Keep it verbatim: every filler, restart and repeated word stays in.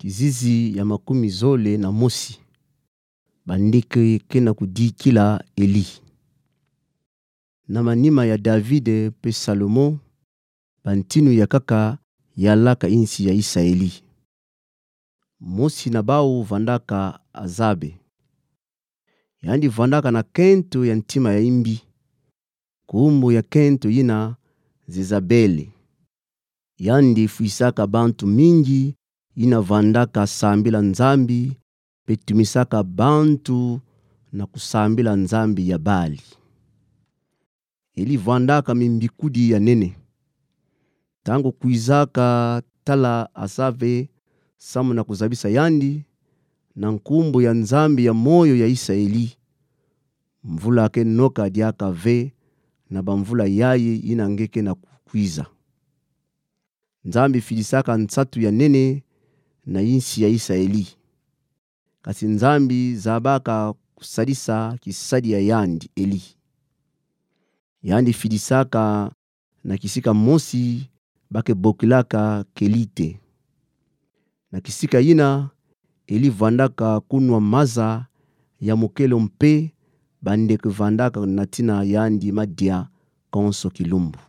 Kizizi ya makumi zole na mosi. Bandeke ke na kudikila Eli. Na manima ya David pe Salomon, bantinu ya kaka yalaka insi ya Isaeli. Mosi na bau vandaka azabe. Yandi vandaka na kento ya ntima ya imbi. Nkumbu ya kento yina Zezabele. Yandi fwisaka bantu mingi yina vandaka sambila nzambi, pe tumisaka bantu na kusambila nzambi ya Bali. Eli vandaka mimbikudi ya nene. Ntangu kwizaka tala azabe samu na kuzabisa yandi, na nkumbu ya Nzambi ya moyo ya Isaeli, mvula ke noka diaka ve na bamvula yayi yina nge ke na kukwiza. Nzambi fidisaka nsatu ya nene na insi ya Isaeli. Kasi Nzambi zabaka kusadisa kisadi ya yandi Eli. Yandi fidisaka na kisika mosi ba ke bokilaka Kelite. Na kisika yina, Eli vandaka kunwa maza ya mokelo mpe bandeke vandaka na tina yandi madia konso kilumbu.